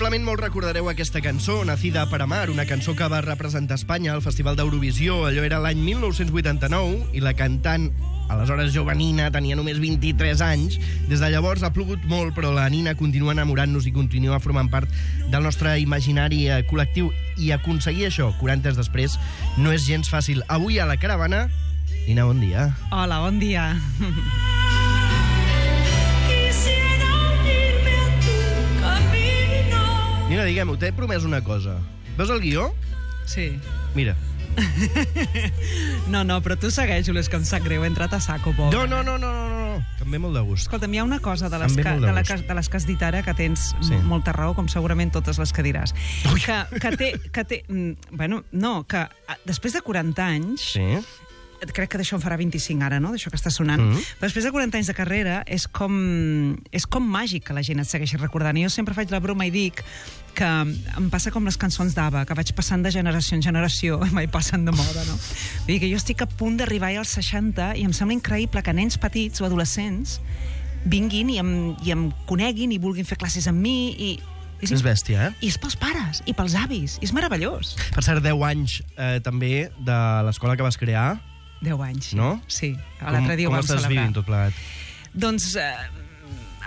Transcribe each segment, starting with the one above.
Probablement molt recordareu aquesta cançó, Nacida para Amar, una cançó que va representar Espanya al Festival d'Eurovisió. Allò era l'any 1989 i la cantant, aleshores jovenina, tenia només 23 anys. Des de llavors ha plogut molt, però la Nina continua enamorant-nos i continua formant part del nostre imaginari col·lectiu. I aconseguir això, 40 anys després, no és gens fàcil. Avui a la caravana, Nina, bon dia. Hola, bon dia. Nina, diguem-ho, t'he promès una cosa. Veus el guió? Sí. Mira. No, però tu segueix-ho, és que em sap greu, he entrat a saco, pobre. No, que em ve molt de gust. Escolta'm, hi ha una cosa de les que has dit ara que tens molta raó, com segurament totes les que diràs. Que té... Bueno, no, que després de 40 anys... Sí. Crec que d'això en farà 25 ara, no?, d'això que està sonant. Però després de 40 anys de carrera és com màgic que la gent et segueixi recordant. I jo sempre faig la broma i dic que em passa com les cançons d'Ava, que vaig passant de generació en generació i mai passen de moda, no? Vull dir que jo estic a punt d'arribar als 60 i em sembla increïble que nens petits o adolescents vinguin i em coneguin i vulguin fer classes amb mi i... És bèstia, I és pels pares i pels avis. I és meravellós. Per cert, 10 anys també de l'escola que vas crear. 10 anys, no? Sí. L'altre dia ho vam celebrar. Com estàs vivint tot plegat? Doncs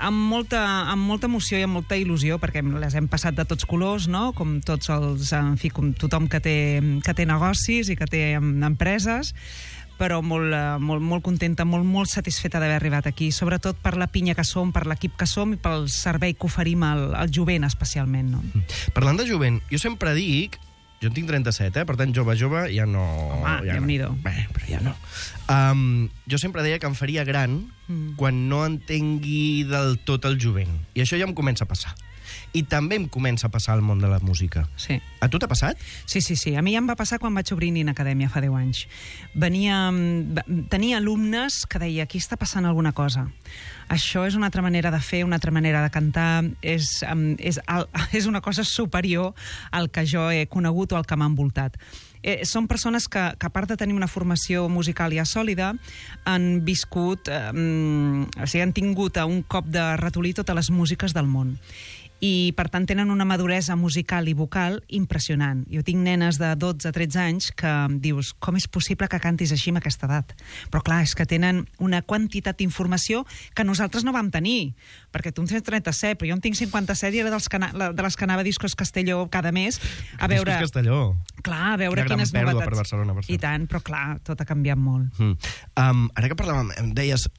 amb molta emoció i amb molta il·lusió, perquè les hem passat de tots colors, no? Com tots els... En fi, com tothom que té negocis i que té empreses, però molt contenta, molt satisfeta d'haver arribat aquí, sobretot per la pinya que som, per l'equip que som i pel servei que oferim al jovent, especialment, no? Parlant de jovent, jo sempre dic... Jo en tinc 37, per tant, jove, ja no... Home, Déu-n'hi-do. Bé, però ja no. Jo sempre deia que em faria gran quan no entengui del tot el jovent. I això ja em comença a passar. I també em comença a passar al món de la música. Sí. A tu t'ha passat? Sí. A mi ja em va passar quan vaig obrir Nina Acadèmia fa 10 anys. Tenia alumnes que deia, aquí està passant alguna cosa. Això és una altra manera de fer, una altra manera de cantar, és una cosa superior al que jo he conegut o al que m'ha envoltat. Són persones que, a part de tenir una formació musical ja sòlida, han viscut, han tingut a un cop de ratolí totes les músiques del món. I, per tant, tenen una maduresa musical i vocal impressionant. Jo tinc nenes de 12-13 anys que dius, com és possible que cantis així amb aquesta edat? Però, clar, és que tenen una quantitat d'informació que nosaltres no vam tenir. Perquè tu en tens 37, però jo en tinc 57 i era de les que anava a Discos Castelló cada mes a veure... Discos Castelló. Clar, a veure quines novetats... Una gran pèrdua per Barcelona, per cert. I tant, però clar, tot ha canviat molt. Ara que parlàvem, em deies...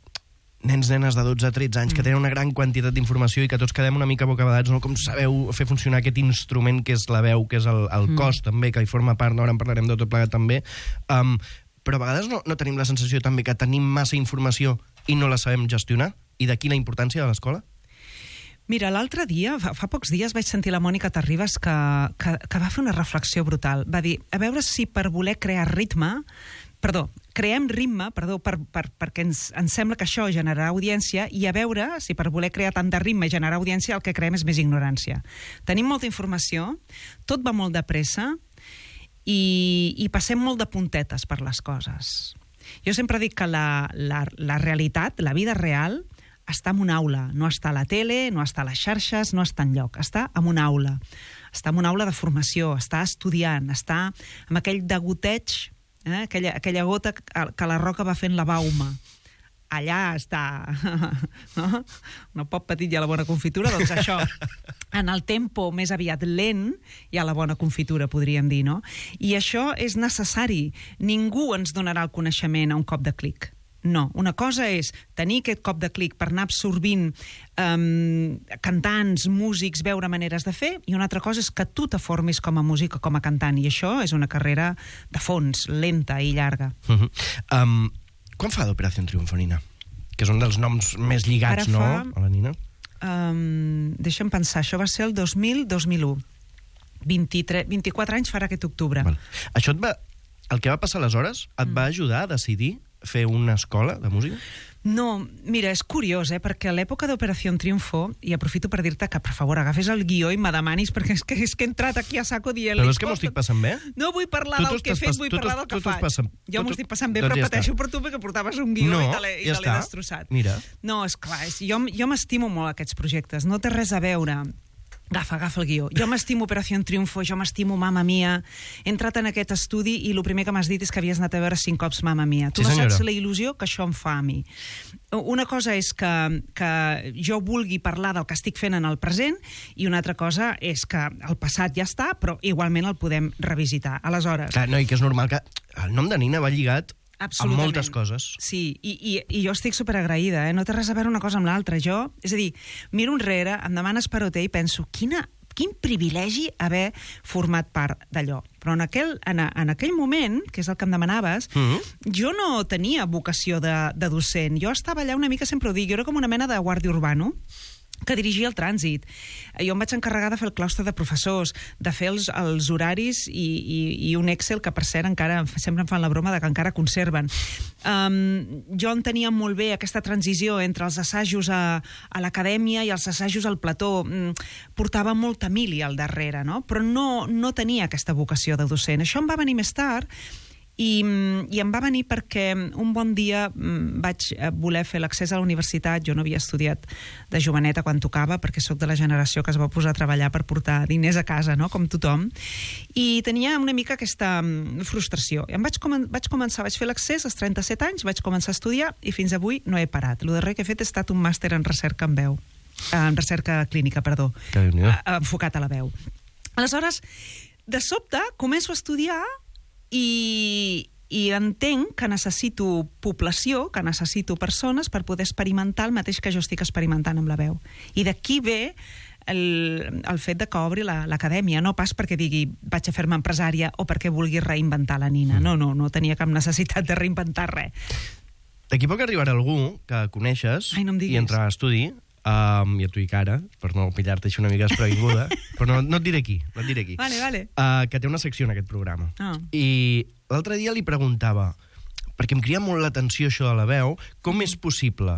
Nenes de 12-13 anys que tenen una gran quantitat d'informació i que tots quedem una mica bocabadats, no? Com sabeu fer funcionar aquest instrument que és la veu, que és el cos també, que hi forma part, no? Ara en parlarem de tot plegat també, però a vegades no tenim la sensació també que tenim massa informació i no la sabem gestionar? I d'aquí la importància de l'escola? Mira, l'altre dia, fa pocs dies, vaig sentir la Mònica Terribas que va fer una reflexió brutal. Va dir, a veure si per voler crear creem ritme, perquè ens sembla que això generarà audiència, i a veure si per voler crear tant de ritme i generar audiència el que creem és més ignorància. Tenim molta informació, tot va molt de pressa i passem molt de puntetes per les coses. Jo sempre dic que la realitat, la vida real, està en una aula, no està a la tele, no està a les xarxes, no està enlloc, està en una aula. Està en una aula de formació, està estudiant, està amb aquell degoteig, aquella gota que la roca va fent la bauma. Allà està, no? No pot petit i a la bona confitura, doncs això, en el tempo més aviat lent, hi ha la bona confitura, podríem dir, no? I això és necessari. Ningú ens donarà el coneixement a un cop de clic. No, una cosa és tenir aquest cop de clic per anar absorbint cantants, músics, veure maneres de fer, i una altra cosa és que tu te formis com a músic o com a cantant, i això és una carrera de fons, lenta i llarga. Quan fa d'Operació Triunfo, Nina? Que és un dels noms més lligats, no?, a la Nina. Deixa'm pensar, això va ser el 2000-2001. 24 anys farà aquest octubre. Això el que va passar aleshores et va ajudar a decidir fer una escola de música? No, mira, és curiós, perquè a l'època d'Operació Triunfo, i aprofito per dir-te que, per favor, agafes el guió i me demanis, perquè és que he entrat aquí a saco dient... Però és que m'ho estic passant bé? No vull parlar del que he fet, vull parlar del que faig. Jo m'ho estic passant bé, però pateixo per tu perquè portaves un guió i te l'he destrossat. Mira. No, esclar, jo m'estimo molt aquests projectes, no té res a veure Agafa el guió. Jo m'estimo Operació Triunfo, jo m'estimo Mamma Mia. He entrat en aquest estudi i el primer que m'has dit és que havies anat a veure 5 cops Mamma Mia. Tu no saps la il·lusió que això em fa a mi. Una cosa és que jo vulgui parlar del que estic fent en el present i una altra cosa és que el passat ja està, però igualment el podem revisitar. Aleshores... Clar, no, i que és normal que el nom de Nina va lligat amb moltes coses. Sí, i jo estic superagraïda, no té res a veure una cosa amb l'altra. Jo, és a dir, miro enrere, em demanes Peroté i penso, quin privilegi haver format part d'allò. Però en aquell moment, que és el que em demanaves, jo no tenia vocació de docent. Jo estava allà una mica, sempre ho dic, jo era com una mena de guàrdia urbano, que dirigia el trànsit. Jo em vaig encarregar de fer el claustre de professors, de fer els horaris i un Excel que, per cert, encara sempre em fan la broma de que encara conserven. Jo entenia molt bé aquesta transició entre els assajos a l'acadèmia i els assajos al plató. Portava molta mili al darrere, no? Però no tenia aquesta vocació de docent. Això em va venir més tard i em va venir perquè un bon dia vaig voler fer l'accés a la universitat. Jo no havia estudiat de joveneta quan tocava, perquè sóc de la generació que es va posar a treballar per portar diners a casa, no? Com tothom, i tenia una mica aquesta frustració. Vaig fer l'accés als 37 anys, vaig començar a estudiar i fins avui no he parat. El darrer que he fet ha estat un màster en recerca en recerca clínica, perdó, enfocat a la veu. Aleshores, de sobte, començo a estudiar i entenc que necessito població, que necessito persones per poder experimentar el mateix que jo estic experimentant amb la veu. I d'aquí ve el fet de que obri l'acadèmia, no pas perquè digui vaig a fer-me empresària o perquè vulgui reinventar la Nina. No tenia cap necessitat de reinventar res. D'aquí poc arribarà algú que coneixes i entrarà a estudi, i a tu i cara, per no pillar-te així una mica desprevinguda, però no et diré qui, Vale. Que té una secció en aquest programa. I l'altre dia li preguntava, perquè em crida molt l'atenció això de la veu, com és possible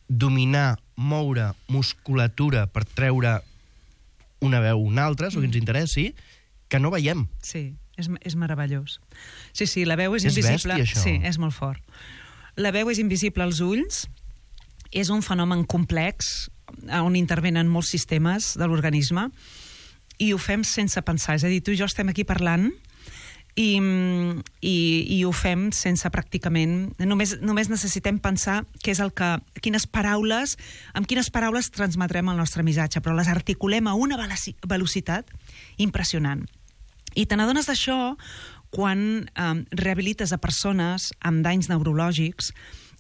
dominar, moure musculatura per treure una veu o una altra, o que ens interessi, que no veiem. Sí, és meravellós. Sí, la veu és invisible. És bèstia, això. Sí, és molt fort. La veu és invisible als ulls, és un fenomen complex on intervenen molts sistemes de l'organisme i ho fem sense pensar. És a dir, tu i jo estem aquí parlant i ho fem sense pràcticament... Només necessitem pensar amb quines paraules transmetrem el nostre missatge, però les articulem a una velocitat impressionant. I te n'adones d'això quan rehabilites a persones amb danys neurològics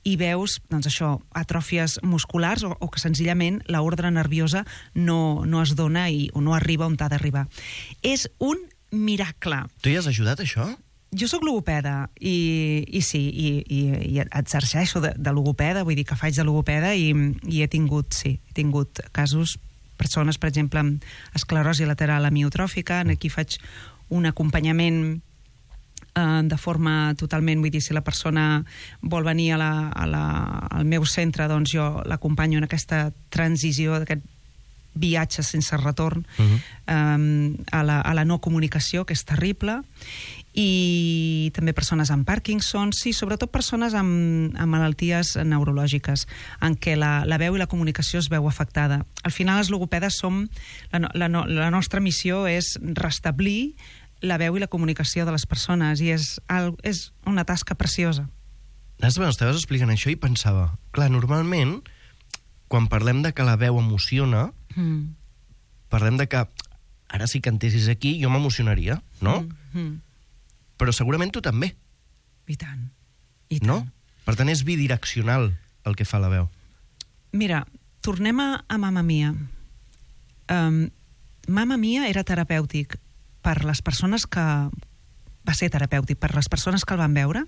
i veus, doncs això, atròfies musculars o que senzillament l'ordre nerviosa no es dona o no arriba on ha d'arribar. És un miracle. Tu hi has ajudat, això? Jo sóc logopeda i sí, i exerceixo de logopeda, vull dir que faig de logopeda i he tingut casos, persones, per exemple, amb esclerosi lateral amiotròfica, aquí faig un acompanyament de forma totalment, vull dir, si la persona vol venir al meu centre, doncs jo l'acompanyo en aquesta transició, d'aquest viatge sense retorn a la no comunicació, que és terrible, i també persones amb Parkinson, sí, sobretot persones amb malalties neurològiques, en què la veu i la comunicació es veu afectada. Al final, els logopedes la nostra missió és restablir la veu i la comunicació de les persones, i és una tasca preciosa. Estaves explicant això i pensava, clar, normalment, quan parlem de que la veu emociona, parlem de que, ara sí que entessis aquí, jo m'emocionaria, no? Però segurament tu també. I tant. No? Per tant, és bidireccional el que fa la veu. Mira, tornem a Mamma Mia. Mamma Mia era terapèutic per les persones que... va ser terapèutic per les persones que el van veure,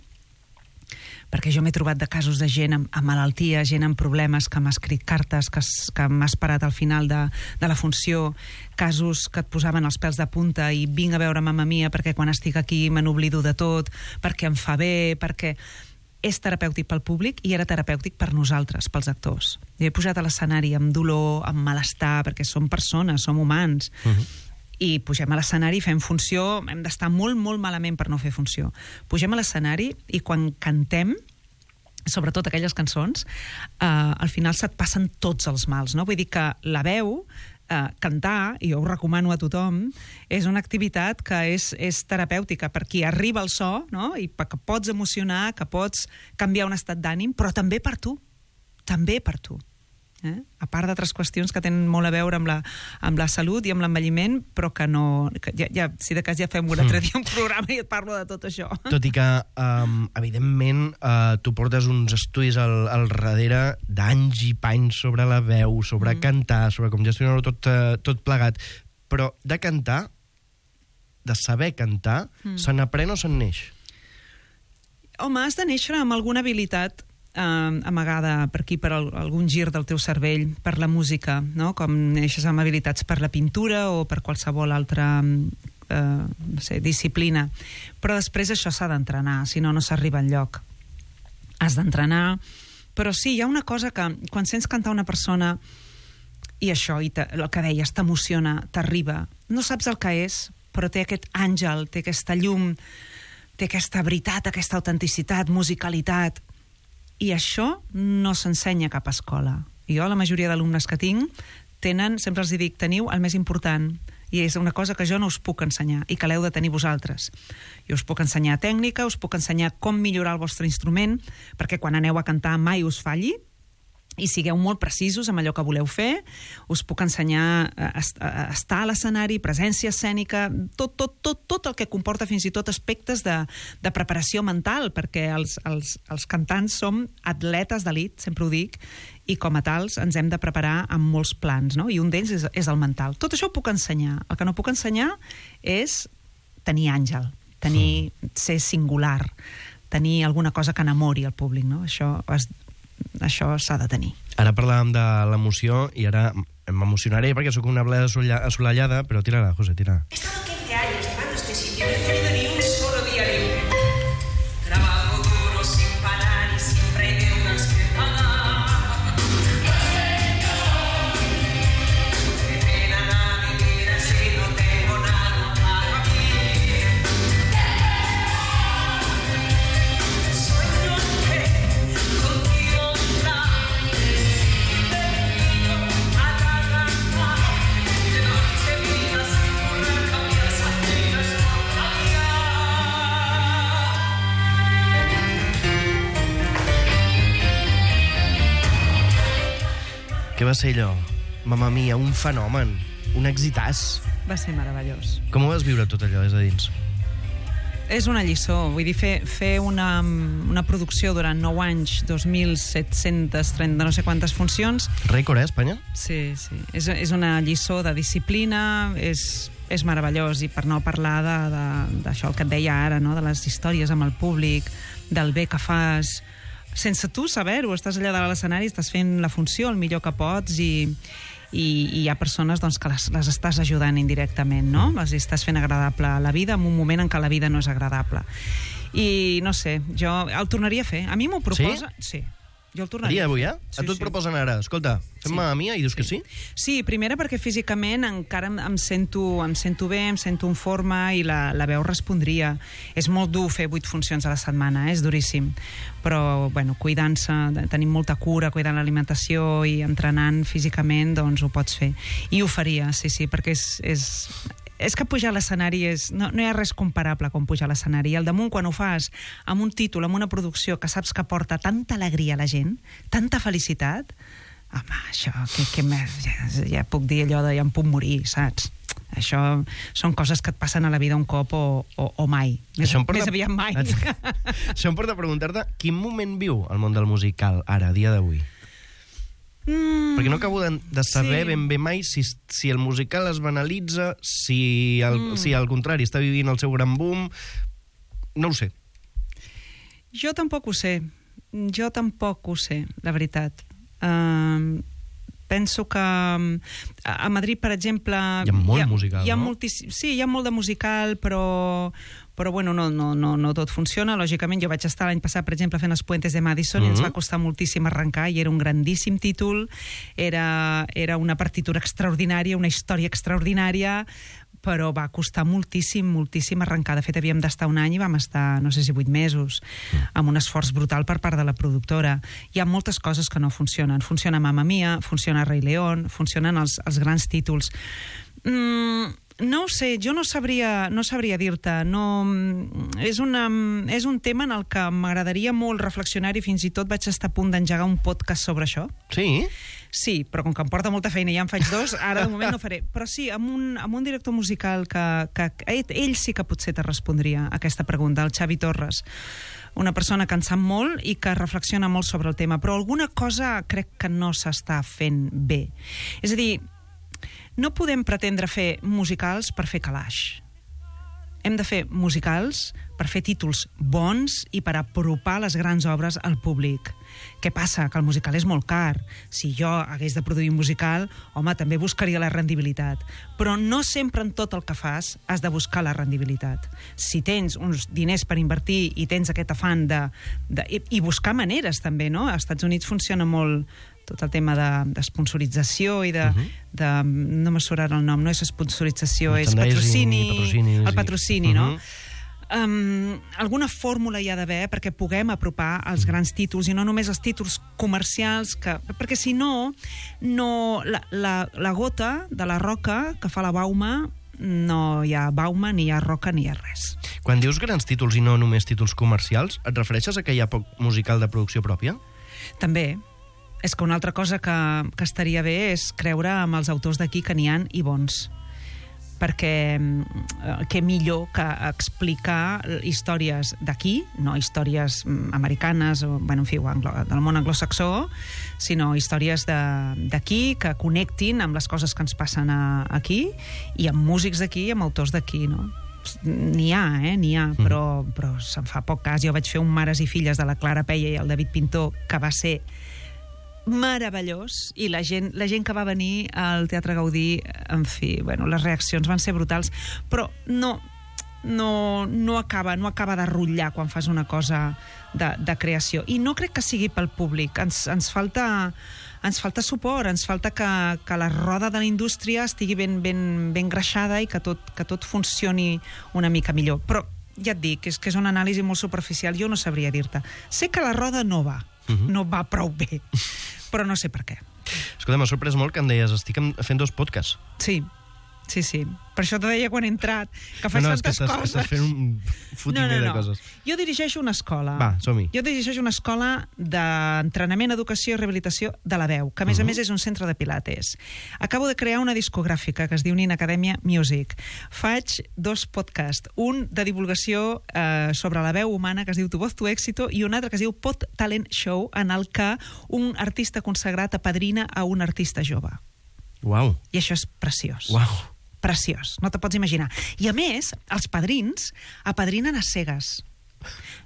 perquè jo m'he trobat de casos de gent amb malaltia, gent amb problemes, que m'ha escrit cartes, que m'ha esperat al final de la funció, casos que et posaven els pèls de punta i vinc a veure Mamma Mia perquè quan estic aquí me n'oblido de tot, perquè em fa bé, perquè... És terapèutic pel públic i era terapèutic per nosaltres, pels actors. Jo he pujat a l'escenari amb dolor, amb malestar, perquè som persones, som humans, i pugem a l'escenari i fem funció, hem d'estar molt, molt malament per no fer funció. Pugem a l'escenari i quan cantem, sobretot aquelles cançons, al final se't passen tots els mals, no? Vull dir que la veu cantar, i jo ho recomano a tothom, és una activitat que és terapèutica per qui arriba al so, no? I que pots emocionar, que pots canviar un estat d'ànim, però també per tu. També per tu. A part d'altres qüestions que tenen molt a veure amb la salut i amb l'envelliment, però que no... si de cas ja fem un altre dia un programa i et parlo de tot això. Tot i que, evidentment, tu portes uns estudis al darrere d'anys i panys sobre la veu, sobre cantar, sobre com gestionar-ho tot plegat. Però de cantar, de saber cantar, se n'aprèn o se'n neix? Home, has de néixer amb alguna habilitat amagada per aquí, per algun gir del teu cervell, per la música, no? Com neixes amb habilitats per la pintura o per qualsevol altra disciplina. Però després això s'ha d'entrenar, si no, no s'arriba enlloc. Has d'entrenar, però sí, hi ha una cosa que quan sents cantar una persona i això, el que deies, t'emociona, t'arriba, no saps el que és, però té aquest àngel, té aquesta llum, té aquesta veritat, aquesta autenticitat, musicalitat. I això no s'ensenya a cap escola. Jo, la majoria d'alumnes que tinc, sempre els dic, teniu el més important, i és una cosa que jo no us puc ensenyar i que l'heu de tenir vosaltres. Jo us puc ensenyar tècnica, us puc ensenyar com millorar el vostre instrument, perquè quan aneu a cantar mai us falli, i sigueu molt precisos amb allò que voleu fer. Us puc ensenyar a estar a l'escenari, presència escènica, tot el que comporta fins i tot aspectes de preparació mental, perquè els cantants som atletes d'elit, sempre ho dic, i com a tals ens hem de preparar amb molts plans, no? I un d'ells és el mental. Tot això ho puc ensenyar. El que no puc ensenyar és tenir àngel, ser singular, tenir alguna cosa que enamori el públic, no? Això s'ha de tenir. Ara parlàvem de l'emoció i ara m'emocionaré perquè sóc una bleda assolellada, però tira-la, José, tira. He estado 15 años llevando este sitio, no he tenido ni un solo día libre. Trabajo duro sin parar y siempre hay deudas que pagar. Me pena vivir así, no tengo nada para mí. Sueño que contigo Què va ser allò? Mamma mia, un fenomen, un exitàs. Va ser meravellós. Com ho vas viure tot allò des de dins? És una lliçó, vull dir, fer una producció durant 9 anys, 2.730 no sé quantes funcions. Rècord, Espanya? Sí. És una lliçó de disciplina, és meravellós, i per no parlar d'això, el que et deia ara, no? De les històries amb el públic, del bé que fas, sense tu saber-ho, estàs allà dalt a l'escenari, estàs fent la funció el millor que pots i hi ha persones doncs, que les estàs ajudant indirectament, no? Les estàs fent agradable la vida en un moment en què la vida no és agradable. I no sé, jo el tornaria a fer. A mi m'ho proposa... Sí. Jo el tornaria. Avui, eh? Sí, a tu et proposen ara. Escolta, fem Mamma Mia i dius que sí? Sí, primera perquè físicament encara em sento bé, em sento en forma i la veu respondria. És molt dur fer 8 funcions a la setmana, és duríssim. Però, bueno, cuidant-se, tenint molta cura, cuidant l'alimentació i entrenant físicament, doncs ho pots fer. I ho faria, sí, perquè és que pujar a l'escenari no hi ha res comparable com pujar a l'escenari. I al damunt, quan ho fas amb un títol, amb una producció que saps que porta tanta alegria a la gent, tanta felicitat, home, això, ja puc dir allò de ja em puc morir, saps? Això són coses que et passen a la vida un cop o mai. Més aviat mai. Això em porta a preguntar-te quin moment viu el món del musical ara, a dia d'avui? Perquè no acabo de saber ben bé mai si el musical es banalitza, si al contrari està vivint el seu gran boom. No ho sé. Jo tampoc ho sé, la veritat. Penso que a Madrid, per exemple... Hi ha molt musical, no? Sí, hi ha molt de musical, però bueno, no tot funciona. Lògicament, jo vaig estar l'any passat, per exemple, fent Els Puentes de Madison, i ens va costar moltíssim arrencar, i era un grandíssim títol, era una partitura extraordinària, una història extraordinària, però va costar moltíssim arrencar. De fet, havíem d'estar un any i vam estar, no sé si 8 mesos, amb un esforç brutal per part de la productora. Hi ha moltes coses que no funcionen. Funciona Mamma Mia, funciona Rei León, funcionen els grans títols. No ho sé, jo no sabria dir-te. És un tema en el que m'agradaria molt reflexionar i fins i tot vaig estar a punt d'engegar un podcast sobre això. Sí? Sí, però com que em porta molta feina i ja en faig 2, ara de moment no faré. Però sí, amb un director musical que ell sí que potser te respondria a aquesta pregunta, el Xavi Torres. Una persona que en sap molt i que reflexiona molt sobre el tema, però alguna cosa crec que no s'està fent bé. És a dir, no podem pretendre fer musicals per fer calaix. Hem de fer musicals per fer títols bons i per apropar les grans obres al públic. Què passa? Que el musical és molt car. Si jo hagués de produir un musical, home, també buscaria la rendibilitat. Però no sempre en tot el que fas has de buscar la rendibilitat. Si tens uns diners per invertir i tens aquest afany i buscar maneres també, no? Als Estats Units funciona molt tot el tema d'esponsorització i no me surt ara el nom, no és esponsorització, és patrocini, el patrocini, no? Alguna fórmula hi ha d'haver perquè puguem apropar els grans títols i no només els títols comercials, perquè si no, la gota de la roca que fa la bauma, no hi ha bauma, ni hi ha roca, ni hi ha res. Quan dius grans títols i no només títols comercials, et refereixes a que hi ha poc musical de producció pròpia? També. És que una altra cosa que estaria bé és creure amb els autors d'aquí que n'hi ha i bons. Perquè què millor que explicar històries d'aquí, no històries americanes o, en fi, del món anglosaxó, sinó històries d'aquí que connectin amb les coses que ens passen aquí i amb músics d'aquí i amb autors d'aquí, no? N'hi ha, però se'n fa poc cas. Jo vaig fer un Mares i filles de la Clara Peia i el David Pintor, que va ser meravellós, i la gent que va venir al Teatre Gaudí, en fi, les reaccions van ser brutals, però no acaba de rutllar quan fas una cosa de creació, i no crec que sigui pel públic. Ens falta suport, ens falta que la roda de la indústria estigui ben greixada i que tot funcioni una mica millor. Però ja et dic, és que és una anàlisi molt superficial, jo no sabria dir-te. Sé que la roda no va prou bé, però no sé per què. Escolta, m'ha sorprès molt que em deies estic fent 2 podcasts. Sí. Per això t'ho deia quan he entrat, que faig tantes coses. Estàs fent un fotimer de coses. Jo dirigeixo una escola. Va, som-hi. Jo dirigeixo una escola d'entrenament, educació i rehabilitació de la veu, que a més és un centre de pilates. Acabo de crear una discogràfica que es diu Nin Academia Music. Faig 2 podcasts, un de divulgació sobre la veu humana que es diu Tu voz, tu éxito, i un altre que es diu Pod Talent Show, en el que un artista consagrat apadrina a un artista jove. Uau. I això és preciós. Uau. Preciós, no te pots imaginar. I a més, els padrins apadrinen a cegues.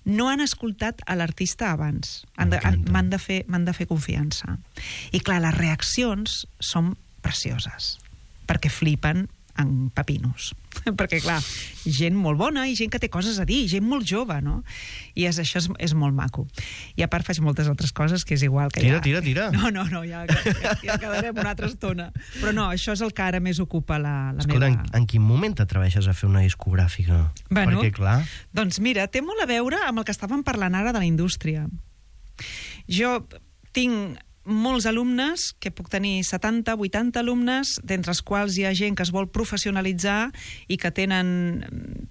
No han escoltat a l'artista abans. M'han de fer confiança. I clar, les reaccions són precioses, perquè flipen en pepinos. Perquè, clar, gent molt bona i gent que té coses a dir, gent molt jove, no? I això és molt maco. I a part faig moltes altres coses que és igual que Tira. No, ja quedarem una altra estona. Però no, això és el que ara més ocupa la Escolta, meva... en quin moment t'atreveixes a fer una discogràfica? Perquè, clar... Doncs mira, té molt a veure amb el que estàvem parlant ara de la indústria. Jo tinc molts alumnes, que puc tenir 70, 80 alumnes, d'entre els quals hi ha gent que es vol professionalitzar i que tenen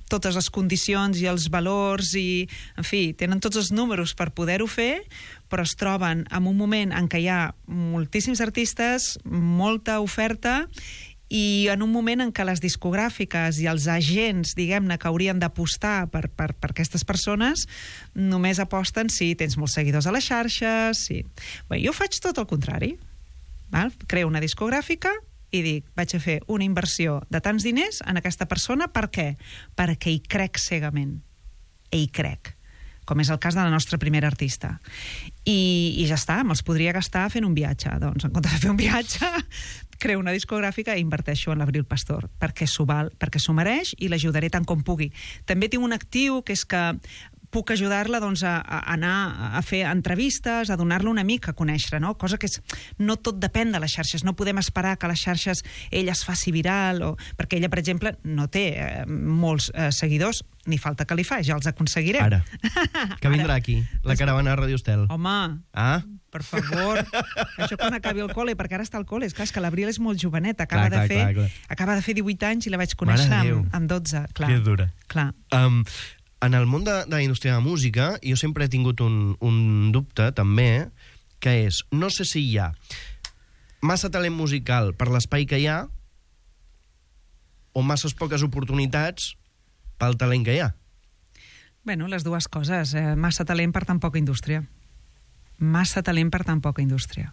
totes les condicions i els valors i, en fi, tenen tots els números per poder-ho fer, però es troben en un moment en què hi ha moltíssims artistes, molta oferta, i en un moment en què les discogràfiques i els agents, diguem-ne, que haurien d'apostar per aquestes persones, només aposten si tens molts seguidors a les xarxes. Sí. Bé, jo faig tot el contrari. Creo una discogràfica i dic, vaig a fer una inversió de tants diners en aquesta persona. Per què? Perquè hi crec cegament. I hi crec. Com és el cas de la nostra primera artista. I ja està, me'ls podria gastar fent un viatge. Doncs, en comptes de fer un viatge, creo una discogràfica i inverteixo en l'Abril Pastor, perquè s'ho val, perquè s'ho mereix i l'ajudaré tant com pugui. També tinc un actiu que és que puc ajudar-la doncs, a anar a fer entrevistes, a donar-la una mica a conèixer, no? Cosa que no tot depèn de les xarxes. No podem esperar que a les xarxes ella es faci viral, perquè ella, per exemple, no té molts seguidors, ni falta que li fa, ja els aconseguirem. Ara, que vindrà aquí, la caravana de Radio Estel. Home, per favor, això quan acabi el col·le, perquè ara està al col·le, és clar, és que l'Abril és molt jovenet, acaba de fer 18 anys i la vaig conèixer amb 12. Clar, que dura. Clar. En el món de la indústria de la música, jo sempre he tingut un dubte, també, que és, no sé si hi ha massa talent musical per l'espai que hi ha o masses poques oportunitats pel talent que hi ha. Bueno, les dues coses. Massa talent per tan poca indústria. Massa talent per tan poca indústria.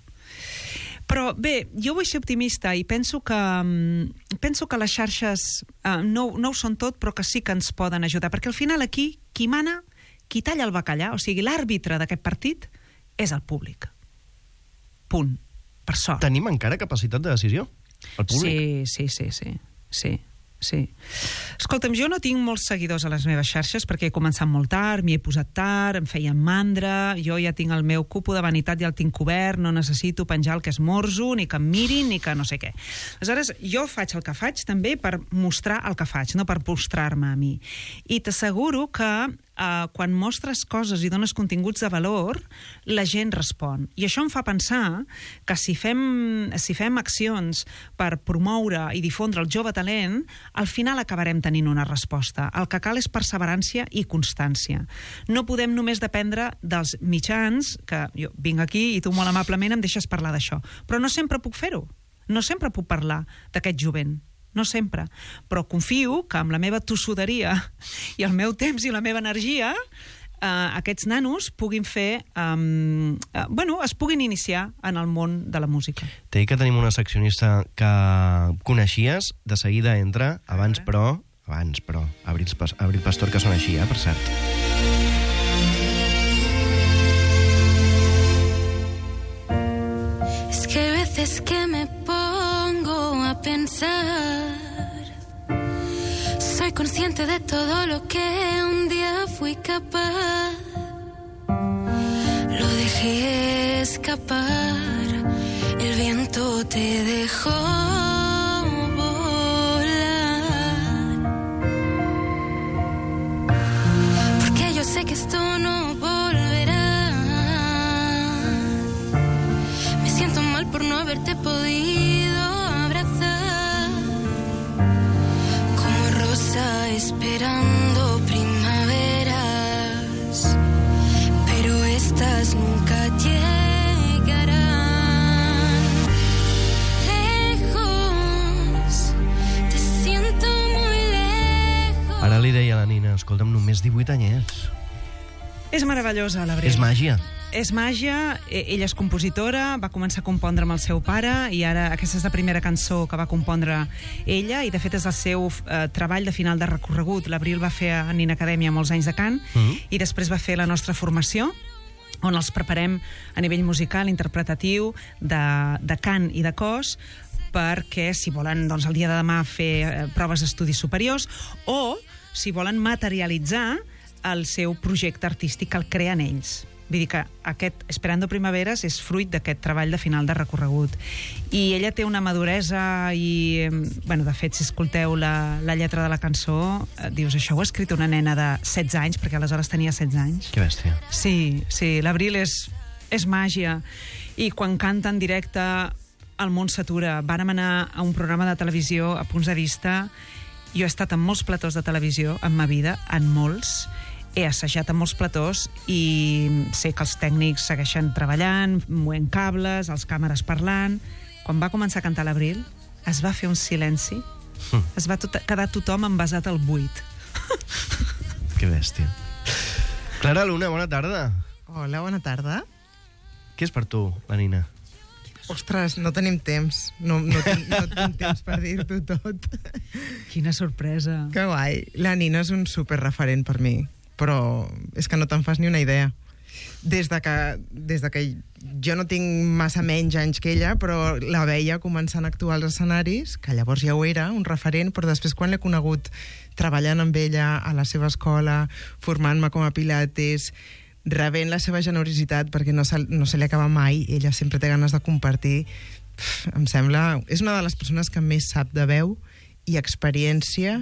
Però bé, jo vull ser optimista i penso que les xarxes no ho són tot, però que sí que ens poden ajudar, perquè al final aquí qui mana, qui talla el bacallà, o sigui, l'àrbitre d'aquest partit és el públic. Punt. Per sort. Tenim encara capacitat de decisió? El públic? Sí. Escolta'm, jo no tinc molts seguidors a les meves xarxes perquè he començat molt tard, m'hi he posat tard, em feien mandra, jo ja tinc el meu cupo de vanitat, ja el tinc cobert, no necessito penjar el que esmorzo, ni que em mirin, ni que no sé què. Aleshores, jo faig el que faig també per mostrar el que faig, no per mostrar-me a mi. I t'asseguro que quan mostres coses i dones continguts de valor, la gent respon. I això em fa pensar que si fem accions per promoure i difondre el jove talent, al final acabarem tenint una resposta. El que cal és perseverància i constància. No podem només dependre dels mitjans, que jo vinc aquí i tu molt amablement em deixes parlar d'això, però no sempre puc fer-ho. No sempre puc parlar d'aquest jovent. No sempre, però confio que amb la meva tossuderia i el meu temps i la meva energia aquests nanos puguin fer es puguin iniciar en el món de la música. T'he dit que tenim una seccionista que coneixies, de seguida entra, abans però Abril Pastor, que sona així, per cert. Es que hay veces que me pongo a pensar, soy consciente de todo lo que un día fui capaz, lo dejé escapar, el viento te dejó volar, porque yo sé que esto no volverá, me siento mal por no haberte podido abrazar, como rosa esperando primaveras, pero estas nunca llegarán. Lejos, te siento muy lejos. Ara li deia a la Nina, escolta'm, només 18 anyets. És meravellosa, l'Abril. És màgia. És màgia, ella és compositora, va començar a compondre amb el seu pare i ara aquesta és la primera cançó que va compondre ella i de fet és el seu treball de final de recorregut. L'Abril va fer a Nina Acadèmia molts anys de cant i després va fer la nostra formació on els preparem a nivell musical, interpretatiu, de cant i de cos perquè si volen doncs, el dia de demà fer proves d'estudis superiors o si volen materialitzar el seu projecte artístic que el creen ells. Vull dir que aquest Esperando Primaveres és fruit d'aquest treball de final de recorregut. I ella té una maduresa i, de fet, si escolteu la lletra de la cançó, dius, això ho ha escrit una nena de 16 anys, perquè aleshores tenia 16 anys. Que bèstia. Sí, l'Abril és màgia. I quan canta en directe, el món s'atura. Vàrem anar a un programa de televisió a Punts de Vista. Jo he estat en molts platós de televisió en ma vida, en molts. He assajat a molts platós i sé que els tècnics segueixen treballant, movent cables, els càmeres parlant. Quan va començar a cantar l'Abril, es va fer un silenci. Es va quedar tothom envasat al buit. Que bèstia. Clara Luna, bona tarda. Hola, bona tarda. Què és per tu, la Nina? Ostres, no tenim temps. No tinc temps per dir-t'ho tot. Quina sorpresa. Que guai. La Nina és un superreferent per mi, però és que no te'n fas ni una idea. des de que jo no tinc massa menys anys que ella, però la veia començant a actuar als escenaris, que llavors ja ho era, un referent, però després quan l'he conegut treballant amb ella a la seva escola, formant-me com a pilates, rebent la seva generositat, perquè no se li acaba mai, ella sempre té ganes de compartir, em sembla... És una de les persones que més sap de veu i experiència.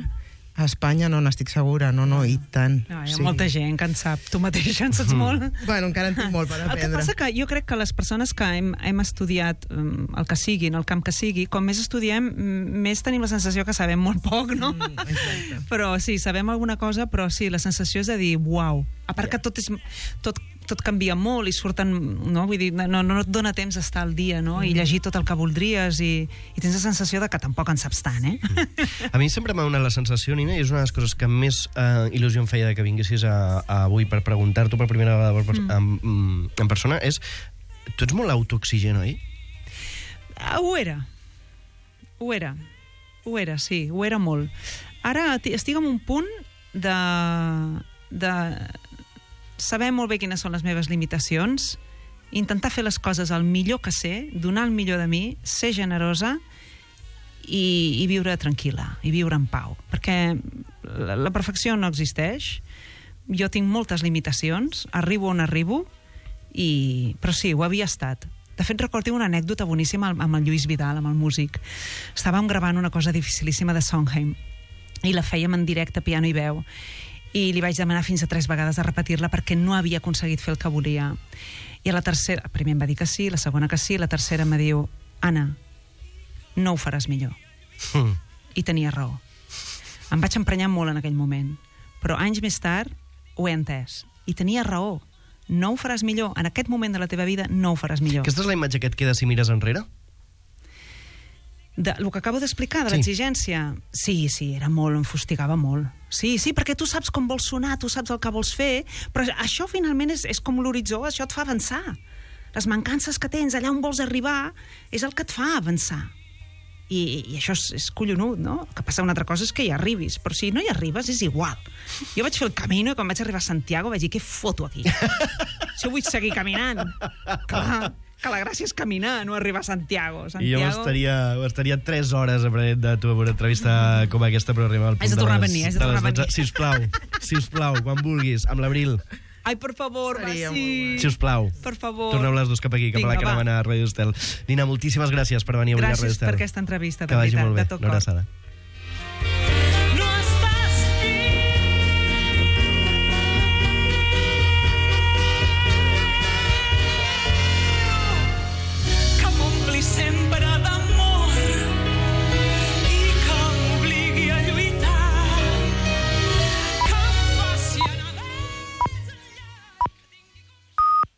A Espanya no n'estic segura, no, i tant. No, hi ha molta gent que en sap. Tu mateixa en saps molt. Bueno, encara en tinc molt per aprendre. El que passa que jo crec que les persones que hem estudiat el que sigui, en el camp que sigui, com més estudiem, més tenim la sensació que sabem molt poc, no? Exacte. Però sí, sabem alguna cosa, però sí, la sensació és de dir, uau. A part que tot canvia molt i surten, no? Vull dir, no et dona temps d'estar al dia, no? I llegir tot el que voldries i tens la sensació de que tampoc en saps tant, A mi sempre m'ha donat la sensació, Nina, i és una de les coses que més il·lusió em feia de que vinguessis avui per preguntar-t'ho per primera vegada en persona, és... Tu ets molt autoexigent, oi? Ho era, sí, ho era molt. Ara estic en un punt de saber molt bé quines són les meves limitacions, intentar fer les coses el millor que sé, donar el millor de mi, ser generosa i viure tranquil·la, i viure en pau. Perquè la perfecció no existeix, jo tinc moltes limitacions, arribo on arribo, però sí, ho havia estat. De fet, recordo una anècdota boníssima amb el Lluís Vidal, amb el músic. Estàvem gravant una cosa dificilíssima de Sondheim, i la fèiem en directe, piano i veu, i li vaig demanar fins a 3 vegades de repetir-la perquè no havia aconseguit fer el que volia. I a la tercera, primer em va dir que sí, la segona que sí, la tercera em diu, Anna, no ho faràs millor. I tenia raó. Em vaig emprenyar molt en aquell moment, però anys més tard ho he entès. I tenia raó. No ho faràs millor. En aquest moment de la teva vida no ho faràs millor. Aquesta és la imatge que et queda si mires enrere? El que acabo d'explicar, de l'exigència. Sí, era molt, em fustigava molt. Sí, perquè tu saps com vols sonar, tu saps el que vols fer, però això finalment és com l'horitzó, això et fa avançar. Les mancances que tens allà on vols arribar és el que et fa avançar. I això és collonut, no? El que passa una altra cosa és que hi arribis, però si no hi arribes és igual. Jo vaig fer el camino i quan vaig arribar a Santiago vaig dir, què foto aquí? Si jo vull seguir caminant. Clar, que la gràcia és caminar, no arribar a Santiago. I jo estaria 3 hores aprenent de tu una entrevista com aquesta, però arribar al punt de les 12. Sisplau, quan vulguis, amb l'Abril. Ai, per favor, sí. Sisplau. Per favor. Torneu les dues cap aquí, cap a la caravana a Ràdio Estel. Nina, moltíssimes gràcies per venir avui a Ràdio Estel. Gràcies per aquesta entrevista, que vagi molt bé. de tot cor. Una abraçada.